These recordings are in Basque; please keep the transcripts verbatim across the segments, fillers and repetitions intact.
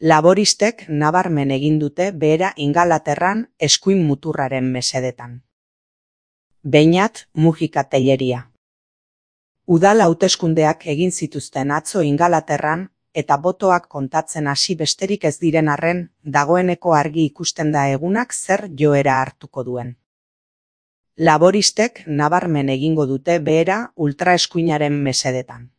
Laboristek nabarmen egin dute behera Ingalaterran eskuin muturraren mesedetan. Beñat Mujika Telleria. Udal hauteskundeak egin zituzten atzo Ingalaterran, eta botoak kontatzen hasi besterik ez diren arren, dagoeneko argi ikusten da egunak zer joera hartuko duen. Laboristek nabarmen egingo dute behera ultraeskuinaren mesedetan.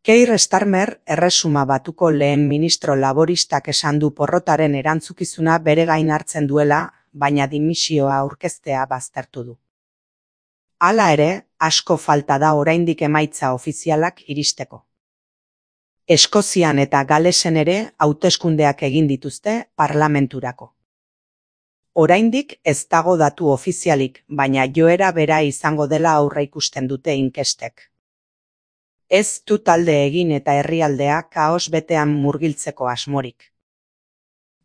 Keir Starmer erresuma batuko lehen ministro laboristak esan du porrotaren erantzukizuna bere gain hartzen duela, baina dimisioa aurkeztea baztertu du. Hala ere, asko falta da oraindik emaitza ofizialak iristeko. Eskozian eta Galesen ere hauteskundeak egin dituzte parlamenturako. Oraindik ez dago datu ofizialik, baina joera bera izango dela aurreikusten dute inkestek. Ez du talde egin eta herrialdea kaos betean murgiltzeko asmorik.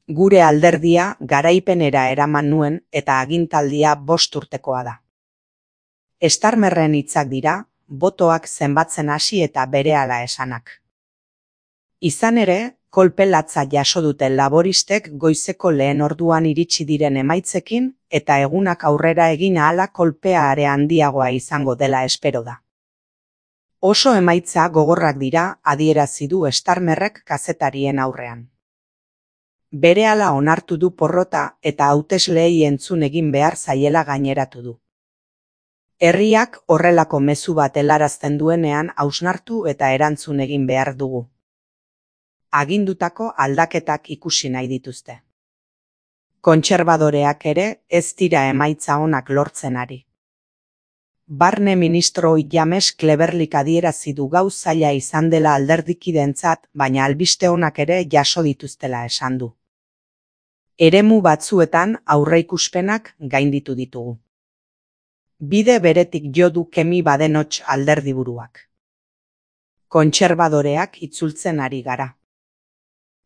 Gure alderdia garaipenera eraman nuen eta agintaldia bost urtekoa da. Starmerren hitzak dira, botoak zenbatzen hasi eta berehala esanak. Izan ere, kolpe latza jaso dute laboristek goizeko lehen orduan iritsi diren emaitzekin eta egunak aurrera egin ahala kolpea are handiagoa izango dela espero da. Oso emaitza gogorrak dira, adierazi du Starmerrek kazetarien aurrean. Berehala onartu du porrota eta hautesleei entzun egin behar zaiela gaineratu du. Herriak horrelako mezu bat helarazten duenean hausnartu eta erantzun egin behar dugu. Agindutako aldaketak ikusi nahi dituzte. Kontserbadoreak ere ez dira emaitza onak lortzen ari. Barne ministro James Cleverlyk adierazi du gau zaila izan dela alderdikidentzat, baina albiste onak ere jaso dituztela esan du. Eremu batzuetan aurreikuspenak gainditu ditugu. Bide beretik jo du Kemi Badenoch alderdiburuak. Kontserbadoreak itzultzen ari gara.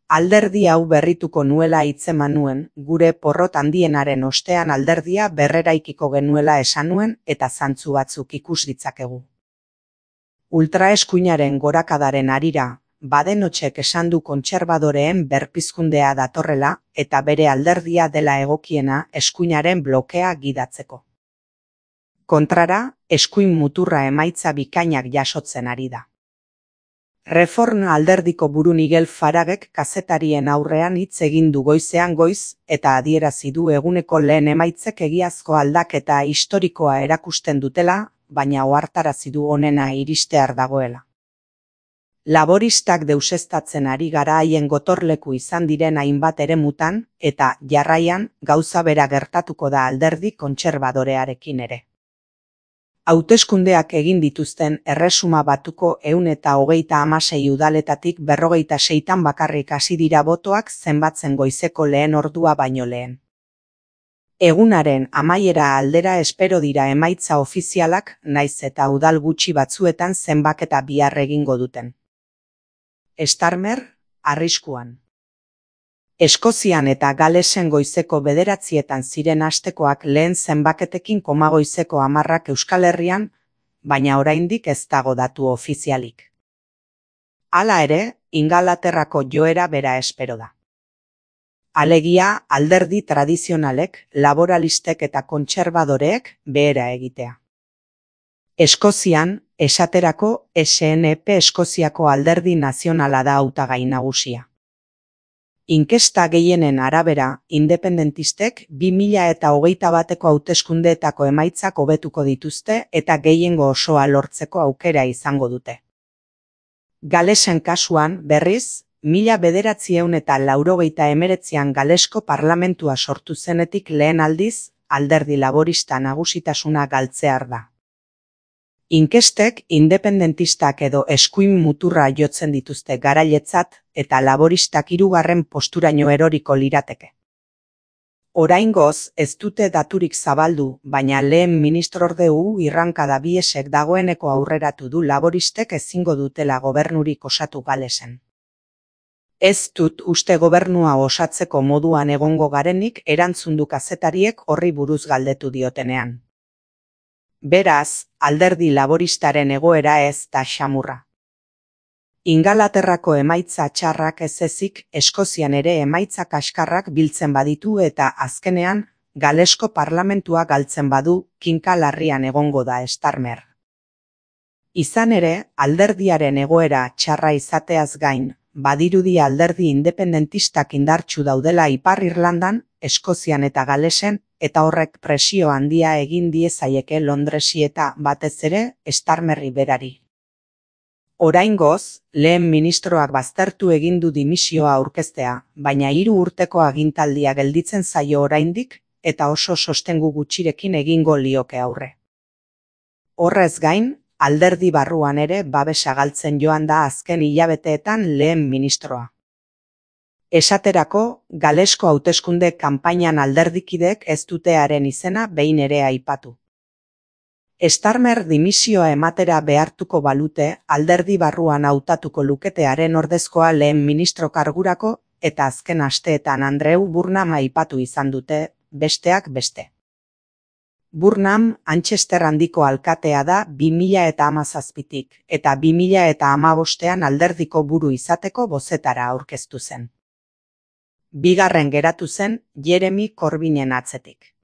Alderdi hau berrituko nuela hitzeman nuen, gure porrot handienaren ostean alderdia berreraikiko genuela esan nuen eta zantzu batzuk ikus ditzakegu. Ultraeskuinaren gorakadaren harira, Badenochek esan du kontserbadoreen berpizkundea datorrela eta bere alderdia dela egokiena eskuinaren blokea gidatzeko. Kontrara, eskuin muturra emaitza bikainak jasotzen ari da. Reform alderdiko buru Nigel Faragek kazetarien aurrean hitz egin du goizean goiz eta adierazi du eguneko lehen emaitzek egiazko aldaketa historikoa erakusten dutela, baina ohartarazi du honena iristear dagoela. Laboristak deuseztatzen ari gara haien gotorleku izan diren hainbat eremutan eta jarraian gauza bera gertatuko da alderdi kontserbadorearekin ere. Hauteskundeak egin dituzten erresuma batuko ehun eta hogeita hamasei udaletatik berrogeita seitan bakarrik hasi dira botoak zenbatzen goizeko lehen ordua baino lehen. Egunaren amaiera aldera espero dira emaitza ofizialak, naiz eta udal gutxi batzuetan zenbaketa bihar egingo duten. Starmer, arriskuan. Eskozian eta Galesen goizeko bederatzietan ziren astekoak lehen zenbaketekin koma goizeko hamarrak Euskal Herrian, baina oraindik ez dago datu ofizialik. Hala ere, Ingalaterrako joera bera espero da. Alegia, alderdi tradizionalek, laboralistek eta kontserbadoreek behera egitea. Eskozian, esaterako S N P Eskoziako alderdi nazionala da hautagai nagusia. Inkesta gehienen arabera, independentistek bi mila eta hogeita bateko hauteskundeetako emaitzak hobetuko dituzte eta gehiengo osoa lortzeko aukera izango dute. Galesen kasuan, berriz, mila bederatziehun eta laurogeita hemeretzian Galesko parlamentua sortu zenetik lehen aldiz, alderdi laborista nagusitasuna galtzear da. Inkestek independentistak edo eskuin muturra jotzen dituzte garailetzat eta laboristak hirugarren posturaino eroriko lirateke. Oraingoz ez dute daturik zabaldu, baina lehen ministrorde U Irrankada Biesek dagoeneko aurreratu du laboristek ezingo dutela gobernurik osatu Galesen. Ez dut uste gobernua osatzeko moduan egongo garenik erantzun du kazetariek horri buruz galdetu diotenean. Beraz, alderdi laboristaren egoera ez da xamurra. Ingalaterrako emaitza txarrak ez ezik, Eskozian ere emaitza kaskarrak biltzen baditu eta azkenean, Galesko parlamentua galtzen badu, kinka larrian egongo da Starmer. Izan ere, alderdiaren egoera txarra izateaz gain, badirudi alderdi independentistak indartsu daudela Ipar Irlandan, Eskozian eta Galesen, eta horrek presio handia egin diezaieke Londresi eta, batez ere, Starmerri berari. Oraingoz, lehen ministroak baztertu egin du dimisioa aurkeztea, baina hiru urteko agintaldia gelditzen zaio oraindik, eta oso sostengu gutxirekin egingo lioke aurre. Horrez gain, alderdi barruan ere babesa galtzen joan da azken hilabeteetan lehen ministroa. Esaterako, Galesko hauteskunde kanpainan alderdikideek ez dute haren izena behin ere aipatu. Starmer dimisioa ematera behartuko balute alderdi barruan hautatuko luketearen ordezkoa lehen ministro kargurako eta azken asteetan Andrew Burnham aipatu izan dute, besteak beste. Burnham Manchester handiko alkatea da bi mila hamazazpitik eta bi mila hamabostean alderdiko buru izateko bozetara aurkeztu zen. Bigarren geratu zen Jeremy Corbynen atzetik.